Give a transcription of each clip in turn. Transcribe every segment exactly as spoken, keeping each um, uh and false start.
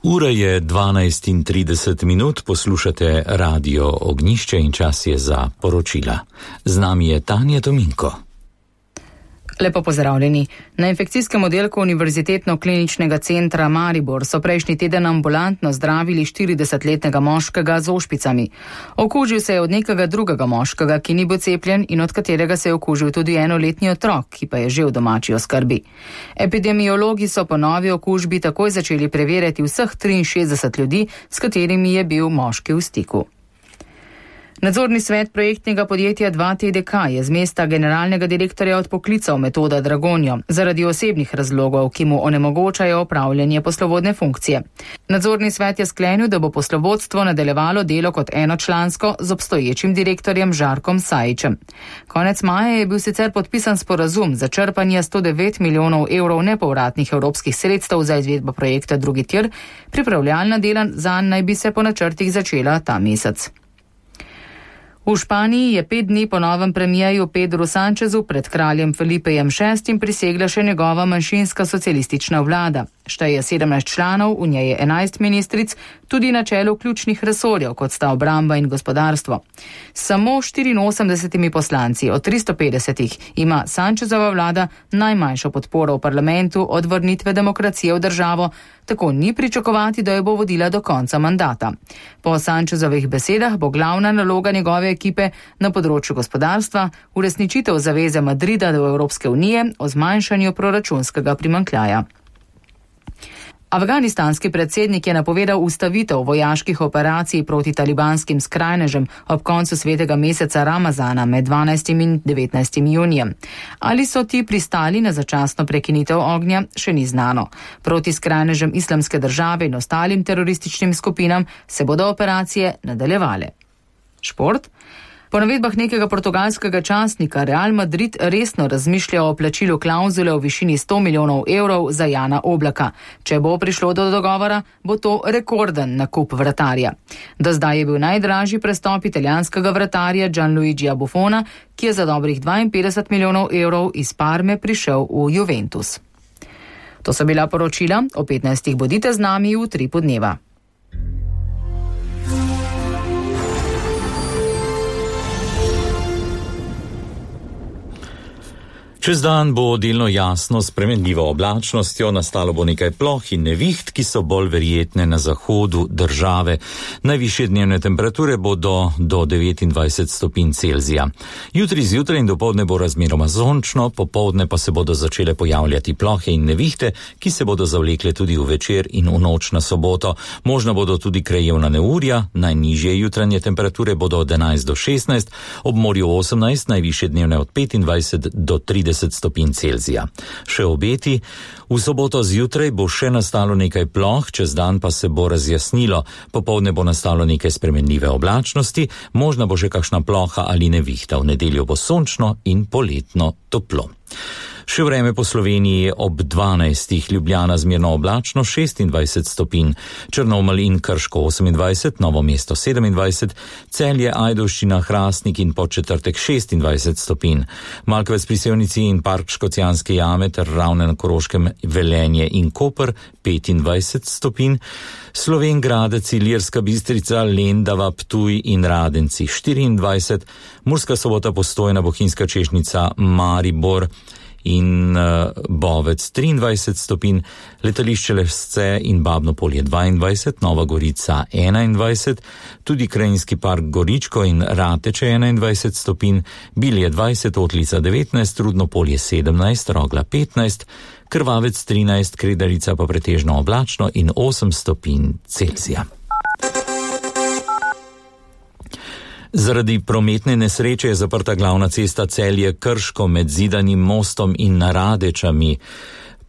Ura je dvanajst in trideset minut, poslušate Radio Ognjišče in čas je za poročila. Z nami je Tanja Tominko. Lepo pozdravljeni. Na infekcijskem oddelku Univerzitetno-kliničnega centra Maribor so prejšnji teden ambulantno zdravili štiridesetletnega moškega z ošpicami. Okužil se je od nekega drugega moškega, ki ni bil cepljen in od katerega se je okužil tudi enoletni otrok, ki pa je že v domači oskrbi. Epidemiologi so po novi okužbi takoj začeli preverjati vseh triinšestdeset ljudi, s katerimi je bil moški v stiku. Nadzorni svet projektnega podjetja dva T D K je z mesta generalnega direktorja odpoklical Metoda Dragonjo zaradi osebnih razlogov, ki mu onemogočajo opravljanje poslovodne funkcije. Nadzorni svet je sklenil, da bo poslovodstvo nadaljevalo delo kot enočlansko z obstoječim direktorjem Žarkom Sajićem. Konec maja je bil sicer podpisan sporazum za črpanje sto devet milijonov evrov nepovratnih evropskih sredstev za izvedbo projekta drugi tir, pripravljalna dela zanj naj bi se po načrtih začela ta mesec. V Španiji je pet dni po novem premijeju Pedru Sanchezu pred kraljem Felipejem šestim prisegla še njegova manjšinska socialistična vlada. Šteje sedemnajst članov, v njej je enajst ministric, tudi na čelu ključnih resorjev, kot sta obramba in gospodarstvo. Samo štiriinosemdesetimi poslanci od tristo petdesetih ima Sanchezova vlada najmanjšo podporo v parlamentu od vrnitve demokracije v državo, tako ni pričakovati, da jo bo vodila do konca mandata. Po Sanchezovih besedah bo glavna naloga njegove ekipe na področju gospodarstva uresničitev zaveze Madrida do Evropske unije o zmanjšanju proračunskega primanjkljaja. Afganistanski predsednik je napovedal ustavitev vojaških operacij proti talibanskim skrajnežem ob koncu svetega meseca Ramazana med dvanajstim in devetnajstim junijem. Ali so ti pristali na začasno prekinitev ognja, še ni znano. Proti skrajnežem Islamske države in ostalim terorističnim skupinam se bodo operacije nadaljevale. Šport? Po navedbah nekega portugalskega časnika Real Madrid resno razmišlja o plačilu klavzule v višini sto milijonov evrov za Jana Oblaka. Če bo prišlo do dogovora, bo to rekorden nakup vratarja. Do zdaj je bil najdražji prestop italijanskega vratarja Gianluigija Buffona, ki je za dobrih dvainpetdeset milijonov evrov iz Parme prišel v Juventus. To so bila poročila, o petnajstih bodite z nami v Utripu dneva. Čez dan bo delno jasno s spremenljivo oblačnostjo, nastalo bo nekaj ploh in neviht, ki so bolj verjetne na zahodu države. Najvišje dnevne temperature bodo do devetindvajset stopinj Celzija. Jutri zjutraj in dopoldne bo razmeroma sončno, popoldne pa se bodo začele pojavljati plohe in nevihte, ki se bodo zavlekle tudi v večer in v noč na soboto. Možno bodo tudi krajevna neurja, najnižje jutranje temperature bodo od enajst do šestnajst, ob morju osemnajst, najvišje dnevne od petindvajset do trideset stopinj Celzija. Še obeti, v soboto zjutraj bo še nastalo nekaj ploh, čez dan pa se bo razjasnilo, popoldne bo nastalo nekaj spremenljive oblačnosti, možna bo še kakšna ploha ali nevihta, v nedeljo bo sončno in poletno toplo. Še vreme po Sloveniji ob dvanajstih, Ljubljana zmerno oblačno šestindvajset stopinj, Črnomelj in Krško osemindvajset, Novo mesto sedemindvajset, Celje, Ajdovščina, Hrastnik in Podčetrtek šestindvajset stopinj, Malkovec pri Sevnici in Park Škocjanske jame ter Ravne na Koroškem, Velenje in Koper petindvajset stopinj, Slovenj Gradec, Ilirska Bistrica, Lendava, Ptuj in Radenci štiriindvajset, Murska Sobota, Postojna, Bohinjska Češnica, Maribor in uh, Bovec triindvajset stopinj, Letališče Lesce in Babno Polje dvaindvajset, Nova Gorica enaindvajset, tudi Krajinski park Goričko in Rateče enaindvajset stopinj, Bilje dvajset, Otlica devetnajst, Rudno Polje sedemnajst, Rogla petnajst, Krvavec trinajst, Kredarica pa pretežno oblačno in osem stopinj Celzija. Zaradi prometne nesreče je zaprta glavna cesta Celje-Krško med Zidanim mostom in Radečami.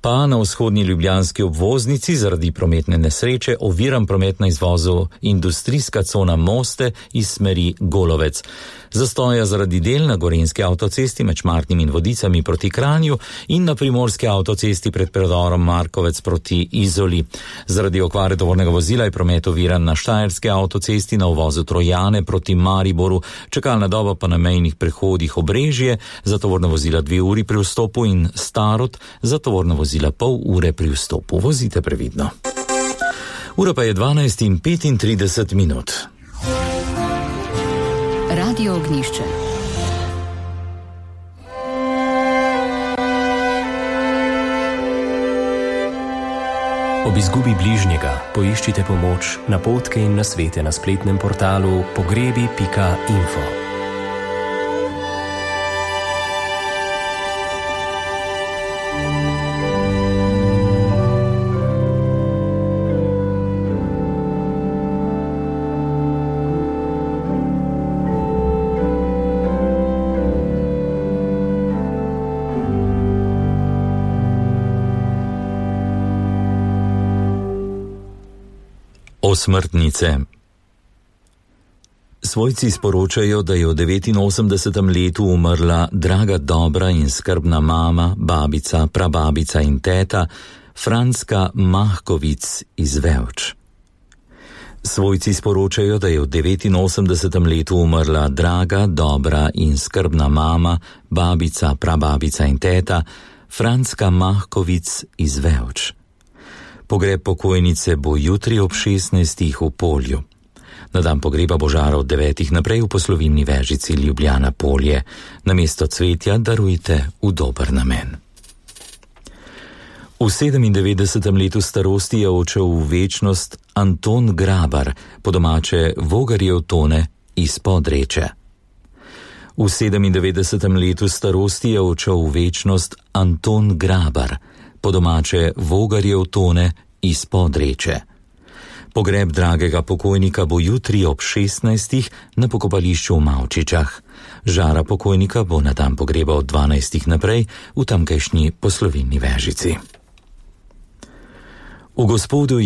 Pa na vzhodni ljubljanski obvoznici zaradi prometne nesreče oviran promet na izvozu industrijska cona Moste iz smeri Golovec. Zastoja zaradi del na Gorenjski avtocesti med Šmartnim in Vodicami proti Kranju in na Primorski avtocesti pred predorom Markovec proti Izoli. Zaradi okvare tovornega vozila je promet oviran na Štajerski avtocesti na uvozu Trojane proti Mariboru, čakalna doba pa na mejnih prehodih Obrežje za tovorna vozila dve uri pri vstopu in Starod za tovorna vozila pol ure pri vstopu. Vozite previdno. Ura pa je dvanajst in petintrideset minut. Radio Ognjišče. Ob izgubi bližnjega poiščite pomoč, napotke in nasvete na spletnem portalu pogrebi pika info. Osmrtnice. Svojci sporočajo, da je v devetinosemdesetem letu umrla draga, dobra in skrbna mama, babica, prababica in teta Franska Mahkovic iz Vevč. Svojci sporočajo, da je v devetinosemdesetem letu umrla draga, dobra in skrbna mama, babica, prababica in teta Franska Mahkovic iz Vevč. Pogreb pokojnice bo jutri ob šestnajstih v Polju. Na dan pogreba bo žara od devetih naprej v poslovilni vežici Ljubljana Polje. Namesto cvetja darujte v dober namen. V sedemindevetdesetem letu starosti je odšel v večnost Anton Grabar, po domače Vogarjev Tone iz Podreče. V sedemindevetdesetem letu starosti je odšel v večnost Anton Grabar, po domače Vogarjev Tone iz Podreče. Pogreb dragega pokojnika bo jutri ob šestnajstih na pokopališču v Mavčičah. Žara pokojnika bo na dan pogreba od dvanajstih naprej v tamkajšnji poslovilni vežici. V Gospodu